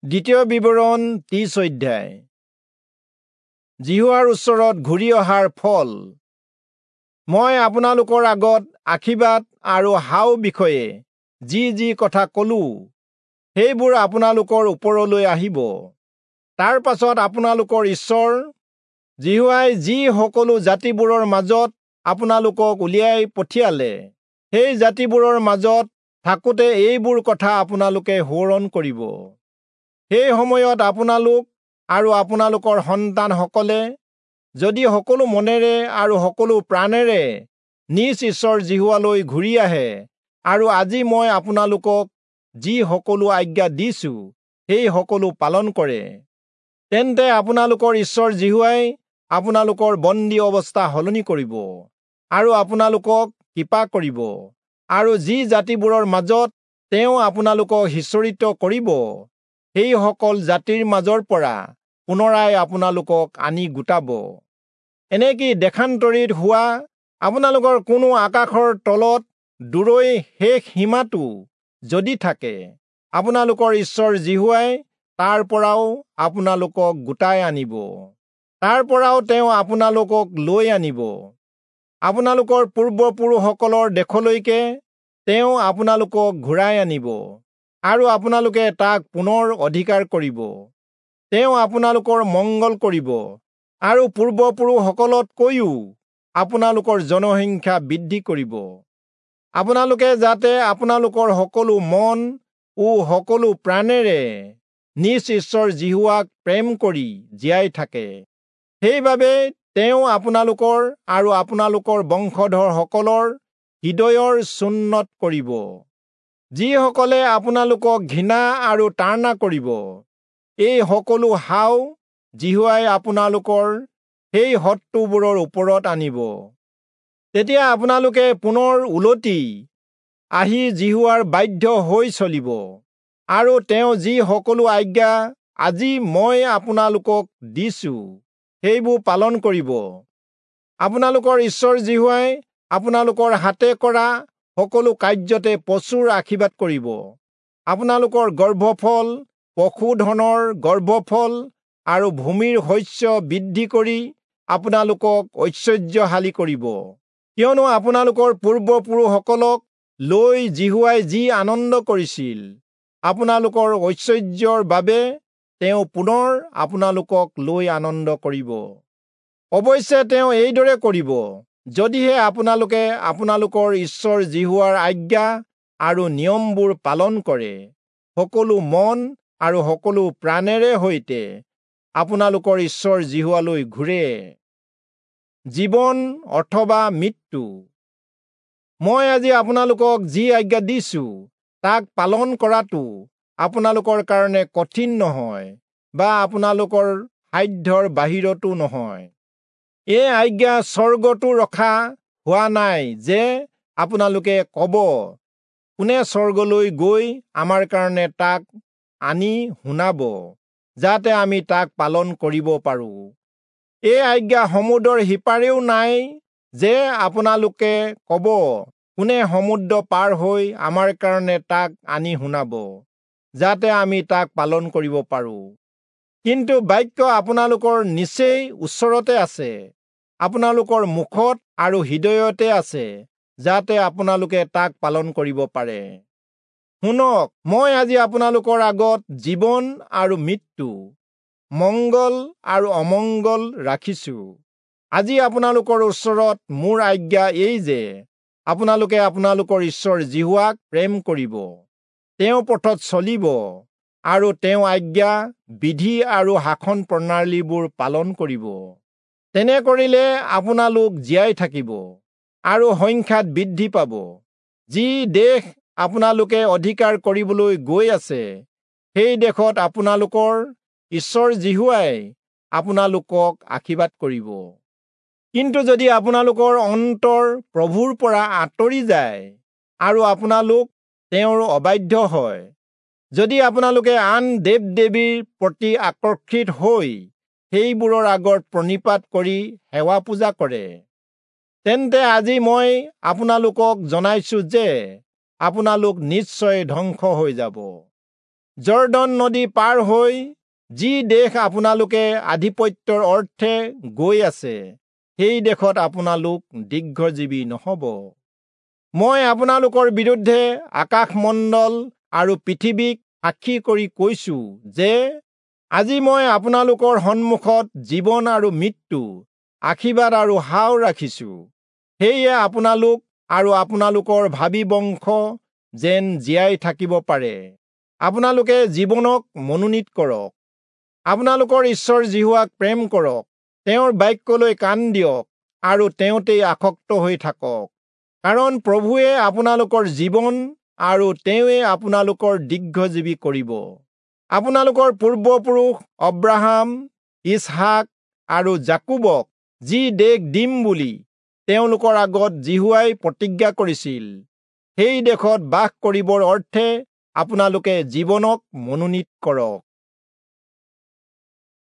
দ্বিতীয় বিৱৰণ 30 অধ্যায়। যিহোৱাৰ ওচৰত ঘূৰি অহাৰ ফল। মই আপোনালোকৰ আগত আশীৰ্বাদ আৰু হাও বিষয়ে যি যি কথা কলো, সেইবোৰ আপোনালোকৰ ওপৰলৈ আহিব। তাৰ পাছত আপোনালোকৰ ঈশ্বৰ যিহোৱাই যি সকলো জাতিবোৰৰ মাজত আপোনালোকক উলিয়াই পঠিয়ালে, সেই জাতিবোৰৰ মাজত থাকোঁতে এইবোৰ কথা আপোনালোকে সোঁৱৰণ কৰিব। সেই সময়ত আপোনালোক আৰু আপোনালোকৰ সন্তানসকলে যদি সকলো মনেৰে আৰু সকলো প্ৰাণেৰে নিজ ঈশ্বৰ যিহোৱালৈ ঘূৰি আহে আৰু আজি মই আপোনালোকক যি সকলো আজ্ঞা দিছো সেই সকলো পালন কৰে, তেন্তে আপোনালোকৰ ঈশ্বৰ যিহোৱাই আপোনালোকৰ বন্দী অৱস্থা সলনি কৰিব আৰু আপোনালোকক কৃপা কৰিব, আৰু যি জাতিবোৰৰ মাজত তেওঁ আপোনালোকক সিঁচৰিত কৰিব সেই সকল জাতিৰ মাজৰ পৰা পুনৰাই আপোনালোকক আনি গোটাব। এনেকি দেশান্তৰিত হোৱা আপোনালোকৰ কোনো আকাশৰ তলত দূৰৈ শেষ সীমাটো যদি থাকে, আপোনালোকৰ ঈশ্বৰ যিহোৱাই তাৰ পৰাও আপোনালোকক গোটাই আনিব, তাৰ পৰাও তেওঁ আপোনালোকক লৈ আনিব। আপোনালোকৰ পূৰ্বপুৰুষসকলৰ দেশলৈকে তেওঁ আপোনালোকক ঘূৰাই আনিব আৰু আপোনালোকে তাক পুনৰ অধিকাৰ কৰিব। তেওঁ আপোনালোকৰ মংগল কৰিব আৰু পূৰ্বপুৰুষসকলতকৈও আপোনালোকৰ জনসংখ্যা বৃদ্ধি কৰিব। আপোনালোকে যাতে আপোনালোকৰ সকলো মন ও সকলো প্ৰাণেৰে নিজ ঈশ্বৰ যিহোৱাক প্ৰেম কৰি জীয়াই থাকে, সেইবাবে তেওঁ আপোনালোকৰ আৰু আপোনালোকৰ বংশধৰসকলৰ হৃদয়ৰ চুন্নত কৰিব। যিসকলে আপোনালোকক ঘৃণা আৰু তাড়না কৰিব, এই সকলো হাও যিহোৱাই আপোনালোকৰ সেই শত্ৰুবোৰৰ ওপৰত আনিব। তেতিয়া আপোনালোকে পুনৰ উলটি আহি যিহোৱাৰ বাধ্য হৈ চলিব আৰু তেওঁ যি সকলো আজ্ঞা আজি মই আপোনালোকক দিছো সেইবোৰ পালন কৰিব। আপোনালোকৰ ঈশ্বৰ যিহোৱাই আপোনালোকৰ হাতে কৰা সকলো কাৰ্যতে প্ৰচুৰ আশীৰ্বাদ কৰিব। আপোনালোকৰ গৰ্ভফল, পশুধনৰ গৰ্ভফল আৰু ভূমিৰ শস্য বৃদ্ধি কৰি আপোনালোকক ঐশ্বৰ্যশালী কৰিব। কিয়নো আপোনালোকৰ পূৰ্বপুৰুষসকলক লৈ যিহোৱাই যি আনন্দ কৰিছিল, আপোনালোকৰ ঐশ্বৰ্যৰ বাবে তেওঁ পুনৰ আপোনালোকক লৈ আনন্দ কৰিব। অৱশ্যে তেওঁ এইদৰে কৰিব, যদিহে আপোনালোকে আপোনালোকৰ ঈশ্বৰ যিহোৱাৰ আজ্ঞা আৰু নিয়মবোৰ পালন কৰে, সকলো মন আৰু সকলো প্ৰাণেৰে সৈতে আপোনালোকৰ ঈশ্বৰ যিহোৱালৈ ঘূৰে। জীৱন অথবা মৃত্যু। মই আজি আপোনালোকক যি আজ্ঞা দিছো তাক পালন কৰাটো আপোনালোকৰ কাৰণে কঠিন নহয় বা আপোনালোকৰ সাধ্যৰ বাহিৰতো নহয়। এই আজ্ঞা স্বৰ্গতো ৰখা হোৱা নাই যে আপোনালোকে ক'ব, কোনে স্বৰ্গলৈ গৈ আমাৰ কাৰণে তাক আনি শুনাব, যাতে আমি তাক পালন কৰিব পাৰো। এই আজ্ঞা সমুদ্ৰৰ সিপাৰেও নাই যে আপোনালোকে ক'ব, কোনে সমুদ্ৰ পাৰ হৈ আমাৰ কাৰণে তাক আনি শুনাব, যাতে আমি তাক পালন কৰিব পাৰো। কিন্তু বাক্য আপোনালোকৰ নিচেই ওচৰতে আছে, আপোনালোকৰ মুখত আৰু হৃদয়তে আছে, যাতে আপোনালোকে তাক পালন কৰিব পাৰে। শুনক, মই আজি আপোনালোকৰ আগত জীৱন আৰু মৃত্যু, মংগল আৰু অমংগল ৰাখিছো। আজি আপোনালোকৰ ওচৰত মোৰ আজ্ঞা এই যে আপোনালোকে আপোনালোকৰ ঈশ্বৰ যিহোৱাক প্ৰেম কৰিব, তেওঁ পথত চলিব আৰু তেওঁ আজ্ঞা, বিধি আৰু শাসন প্ৰণালীবোৰ পালন কৰিব। তেনে কৰিলে আপোনালোক জীয়াই থাকিব আৰু সংখ্যাত বৃদ্ধি পাব। যি দেশ আপোনালোকে অধিকাৰ কৰিবলৈ গৈ আছে, সেই দেশত আপোনালোকৰ ঈশ্বৰ যিহোৱাই আপোনালোকক আশীৰ্বাদ কৰিব। কিন্তু যদি আপোনালোকৰ অন্তৰ প্ৰভুৰ পৰা আঁতৰি যায় আৰু আপোনালোক তেওঁৰ অবাধ্য হয়, যদি আপোনালোকে আন দেৱ দেৱীৰ প্ৰতি আকৰ্ষিত হৈ সেইবোৰৰ আগত প্ৰণিপাত কৰি সেৱা পূজা কৰে, তেন্তে আজি মই আপোনালোকক জনাইছো যে আপোনালোক নিশ্চয় ধ্বংস হৈ যাব। যৰ্দন নদী পাৰ হৈ যি দেশ আপোনালোকে আধিপত্যৰ অৰ্থে গৈ আছে, সেই দেশত আপোনালোক দীৰ্ঘজীৱী নহ'ব। মই আপোনালোকৰ বিৰুদ্ধে আকাশমণ্ডল আৰু পৃথিৱীক সাক্ষী কৰি কৈছো যে আজি মই আপোনালোকৰ সন্মুখত জীৱন আৰু মৃত্যু, আশীৰ্বাদ আৰু শাও ৰাখিছো। সেয়ে আপোনালোক আৰু আপোনালোকৰ ভাবী বংশ যেন জীয়াই থাকিব পাৰে, আপোনালোকে জীৱনক মনোনীত কৰক। আপোনালোকৰ ঈশ্বৰ যিহোৱাক প্ৰেম কৰক, তেওঁৰ বাক্যলৈ কাণ দিয়ক আৰু তেওঁতেই আসক্ত হৈ থাকক। কাৰণ প্ৰভুৱে আপোনালোকৰ জীৱন আৰু তেওঁৱে আপোনালোকৰ দীৰ্ঘজীৱী কৰিব। আপোনালোকৰ পূৰ্বপুৰুষ অব্ৰাহাম, ইচহাক আৰু যাকোবক যি দেশ দিম বুলি তেওঁলোকৰ আগত যিহোৱাই প্ৰতিজ্ঞা কৰিছিল, সেই দেশত বাস কৰিবৰ অৰ্থে আপোনালোকে জীৱনক মনোনীত কৰক।